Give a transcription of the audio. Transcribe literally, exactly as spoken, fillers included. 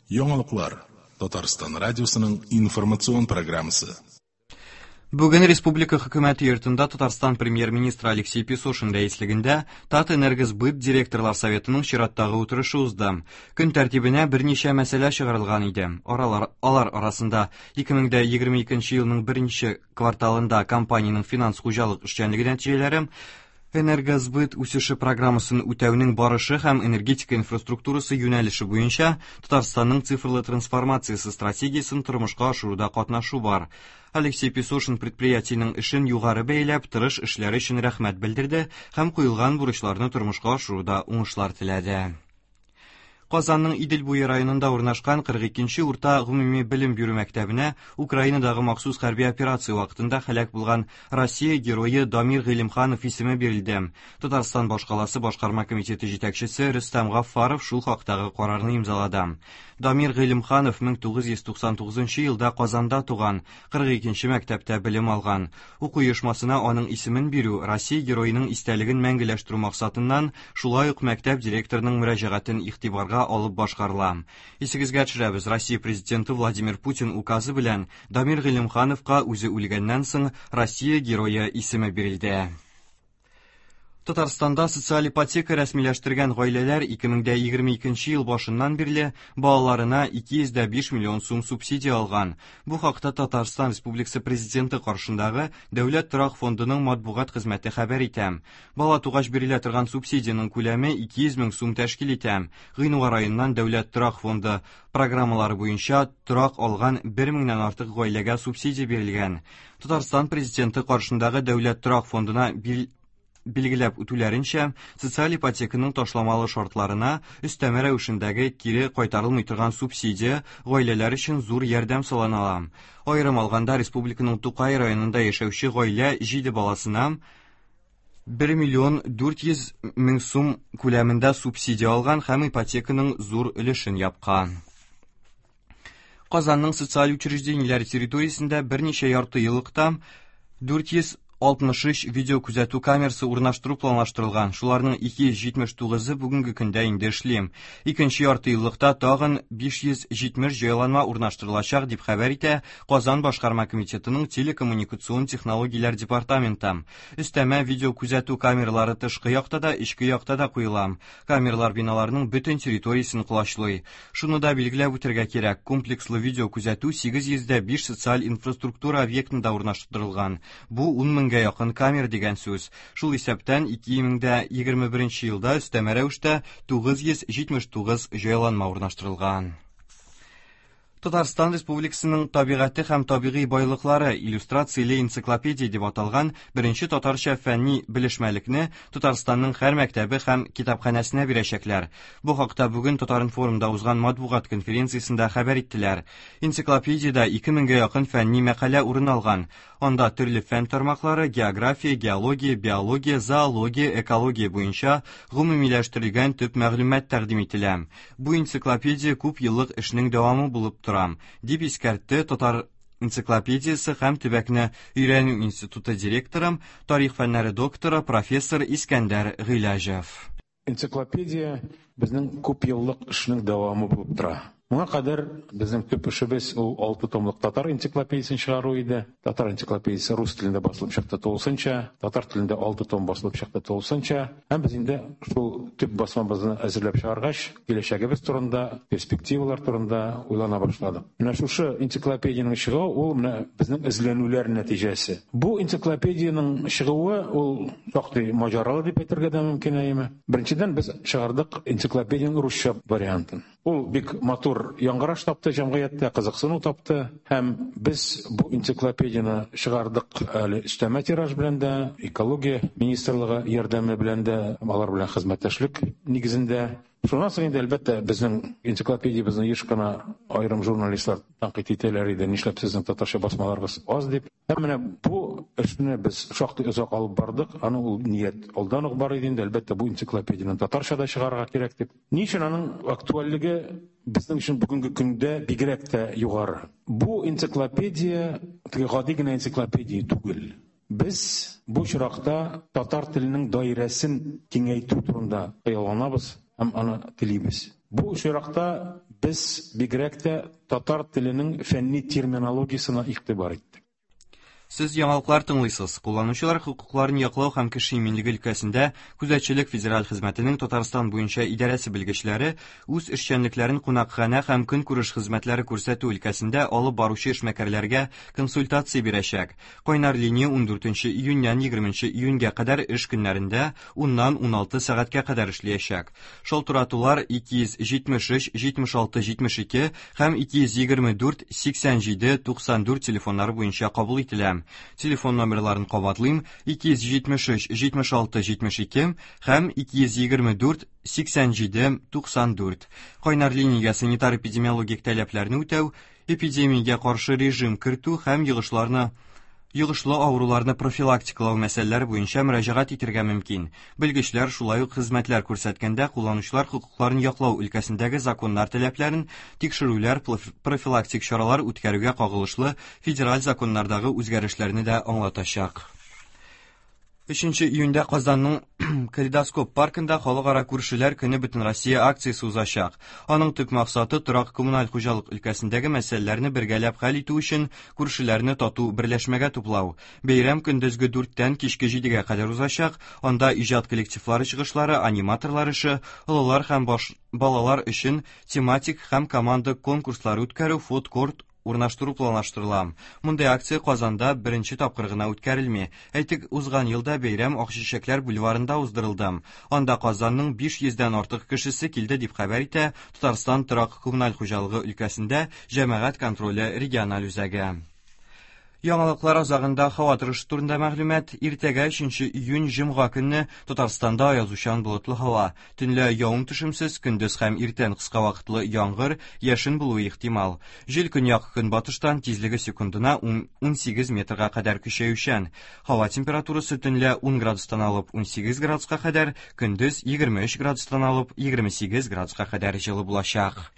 Яңалыклар Татарстан радиосының информацион программасы. Бүген Республика хөкүмәте йортында Татарстан премьер-министры Алексей Песошин рәислегендә Татэнергосбыт директорлар советының чираттагы утырышы узды. Көн тәртибенә берничә мәсьәлә чыгарылган иде. Аралар, алар арасында ике мең егерме икенче елның беренче кварталында компаниянең финанс хуҗалык эшчәнлеге нәтиҗәләре, Энергосбыт үсеше программасын үтәүнең барышы һәм энергетика инфраструктурасы юнәлеше буенча Татарстанның цифрлы трансформациясе стратегиясен тормышка ашыруда катнашу бар. Алексей Песошин предприятиенең эшен югары бәяләп, тырыш эшләре өчен рәхмәт белдерде һәм куелган бурычларны тормышка ашыруда уңышлар теләде. Казанның Идел буе районында урнашкан кырык икенче урта гомуми белем бирү мәктәбенә Украинадагы махсус хәрби операция вакытында һәлак булган Россия герое Дамир Гыйлемханов исеме бирелде. Татарстан башкаласы башкарма комитеты җитәкчесе Рөстәм Гаффаров шул хактагы карарны имзалады. Дамир Гыйлемханов мең тугыз йөз туксан тугызынчы елда Казанда туган, кырык икенче мәктәптә белем алган. Уку оешмасына аның исемен бирү Россия героеның истәлеген мәңгеләштерү максатыннан шулай ук мәктәп директорының мөрәҗәгатен игътибарга алып башкарыла. Исегезгә төшерәбез, Россия президенты Владимир Путин указы белән Дамир Гыйлемхановка үзе үлгәннән соң Россия герое исеме бирелде. Татарстанда социаль ипотека рәсмиләштергән гаиләләр ике мең егерме икенче ел башыннан бирле балаларына ике йөз дә биш миллион сум субсидия алган. Бу хакта Татарстан Республикасы Президенты каршындагы Дәүләт торак фондының матбугат хезмәте хәбәр итә. Бала тугач бирелә торган субсидиянең күләме ике йөз мең сум тәшкил итә. Гыйнвар аеннан Дәүләт торак фонды программалары буенча торак алган бер меңнән артык гаиләгә субсидия бирелгән. Татарстан Президенты каршындагы Дәүләт торак фондына бил-, билгеләп үтүләренчә, социаль ипотеканың ташламалы шартларына өстәмә рәвешендәге кире кайтарылмый торган субсидия гаиләләр өчен зур ярдәм санала. Аерым алганда, республиканың Тукай районында яшәүче гаилә җиде баласына бер миллион дүрт йөз мең сум күләмендә субсидия алган һәм ипотеканың зур өлешен япкан. Казанның социаль учреждениеләре территориясендә берничә ярты еллыкта дүрт йөз алтмыш өч видео күзәтү камерасы урнаштыру планлаштырылган. Шуларның ике йөз җитмеш тугызы бүгенге көндә инде эшли. Икенче ярты еллыкта тагын биш йөз җитмеш җайланма урнаштырылачак, дип хәбәр итә Казан башкарма комитетының телекоммуникацион технологияләр департаменты. Өстәмә видео күзәтү камералары тышкы якта да, эчке якта да куела. Камералар биналарның бөтен территориясен колачлый. Шуны да билгеләп үтәргә кирәк, комплекслы видео күзәтү сигез йөз дә биш социаль инфраструктура объектында урнаштырылган. Бу ун меңгә якын камера дигән сүз. Шул исәптән ике мең дә егерме беренче елда өстәмә рәвештә тугыз йөз җитмеш тугыз җайланма урнаштырылган. Татарстан Республикасының табигате һәм табигый байлыклары иллюстрацияле энциклопедия дип аталган беренче татарча фәнни белешмәлекне Татарстанның һәр мәктәбе һәм китапханәсенә бирәчәкләр. Бу хакта бүген Татаринформда узган матбугат конференциясендә хәбәр иттеләр. Энциклопедиядә ике меңгә якын фәнни мәкалә урын алган. Анда төрле фән тармаклары, география, геология, биология, зоология, экология буенча гомумиләштерелгән төп мәгълүмат тәкъдим ителә. Бу энциклопедия күп еллык эшнең дәвамы булып тора, дип искәртте Татар энциклопедиясе һәм төбәкне өйрәнү институты директоры, тарих фәннәре докторы, профессор Искәндәр Гыйләҗев. Энциклопедия безнең күп еллык эшнең дәвамы булып тора. Моңа кадәр безнең төп эшебез ул алты томлык татар энциклопедиясен чыгару иде. Татар энциклопедиясе рус телендә басылып чыкты тулысынча, татар телендә алты том басылып чыкты тулысынча. Һәм без инде шул төп басмабызны әзерләп чыгаргач, киләчәгебез турында, перспективалар турында уйлана башладык. Менә шушы энциклопедиянең чыгуы ул менә безнең эзләнүләр нәтиҗәсе. Бу энциклопедиянең чыгуы ул шактый маҗаралы дип әйтергә дә мөмкин, әйеме? Беренчедән, без чыгардык энциклопедиянең русча вариантын. Ул бик матур яңгыраш тапты җәмгыятьтә, кызыксыну тапты һәм без бу энциклопедияне чыгардык әле өстәмә тираж белән дә, экология министрлыгы ярдәме белән дә, алар белән хезмәттәшлек нигезендә. Шуннан соң инде, әлбәттә, безнең энциклопедиябезне еш кына аерым журналистлар тәнкыйть итәләр иде, нишләп сезнең татарча басмаларыгыз аз дип. Һәм менә бу эшне без шактый озак алып бардык. Аның ул ният алдан ук бар иде инде, әлбәттә, бу энциклопедияне татарча да чыгарырга кирәк дип. Ни өчен аның актуальлеге безнең өчен бүгенге көндә бигрәк тә югары? Бу энциклопедия теге гади генә энциклопедия түгел. Без бу очракта татар теленең даирәсен киңәйтү турында хыялланабыз һәм аны телибез. Бу очракта Без бигрәк тә татар теленең фәнни терминологиясенә игътибар иттек. Сез яңалыклар тыңлыйсыз. Кулланучылар хокукларын яклау һәм кеше иминлеге өлкәсендә күзәтчелек федераль хезмәтенең Татарстан буенча идарәсе белгечләре үз эшчәнлекләрен кунакханә һәм көнкүреш хезмәтләре күрсәтү өлкәсендә алып баручы эшмәкәрләргә консультация бирәчәк. Кайнар линия ундүртенче июньнән егерменче июньгә кадәр эш көннәрендә уннан уналты сәгатькә кадәр эшләячәк. Шалтыратулар ике йөз җитмеш өч, җитмеш алты, җитмеш ике һәм ике йөз егерме дүрт, сиксән җиде, туксан дүрт телефоннары буенча кабул ителә. Телефон номерларын кабатлыйм: ике йөз җитмеш өч, җитмеш алты, җитмеш ике һәм ике йөз егерме дүрт, сиксән җиде, туксан дүрт. Кайнар линиягә санитар-эпидемиологик таләпләрне үтәү, эпидемиягә каршы режим кертү һәм йогышларны йогышлы авыруларны профилактикалау мәсьәләләре буенча мөрәҗәгать итәргә мөмкин. Белгечләр шулай ук хезмәтләр күрсәткәндә кулланучылар хокукларын яклау өлкәсендәге законнар таләпләрен тикшерүләр, профилактик чаралар үткәрүгә кагылышлы федераль законнардагы үзгәрешләрне дә аңлатачак. Өченче июньдә Казанның Калейдоскоп паркында Халыкара күршеләр көне Бөтенроссия акциясе узачак. Аның төп максаты торак коммуналь хуҗалык өлкәсендәге мәсьәләләрне бергәләп хәл итү өчен күршеләрне тату берләшмәгә туплау. Бәйрәм көндезге дүрттән кичке җидегә кадәр узачак. Анда иҗат коллективлары чыгышлары, аниматорлар эше, олылар һәм баш балалар өчен тематик һәм команда конкурслары үткәрү, фуд-корт урнаштыру планлаштырыла. Мондый акция Казанда беренче тапкыр гына үткәрелми. Әйтик, узган елда бәйрәм Акчәчәкләр бульварында уздырылды. Анда Казанның биш йөздән артык кешесе килде дип хәбәр итә Татарстан торак коммуналь хуҗалыгы өлкәсендә җәмәгать контроле региональ үзәге. Яңалыклар азагында һава торышы турында мәгълүмат. Иртәгә өченче июнь җомга көнне Татарстанда аязучан болытлы һава. Төнлә явым-төшемсез, көндез һәм иртән кыска вакытлы яңгыр, яшен булуы ихтимал. Җил көньяк көнбатыштан тизлеге секундына унсигез метрга кадәр көчәючән. Һава температурасы төнлә ун градустан алып унсигез градуска кадәр, көндез егерме өч градустан алып егерме сигез градуска кадәр җылы булачак.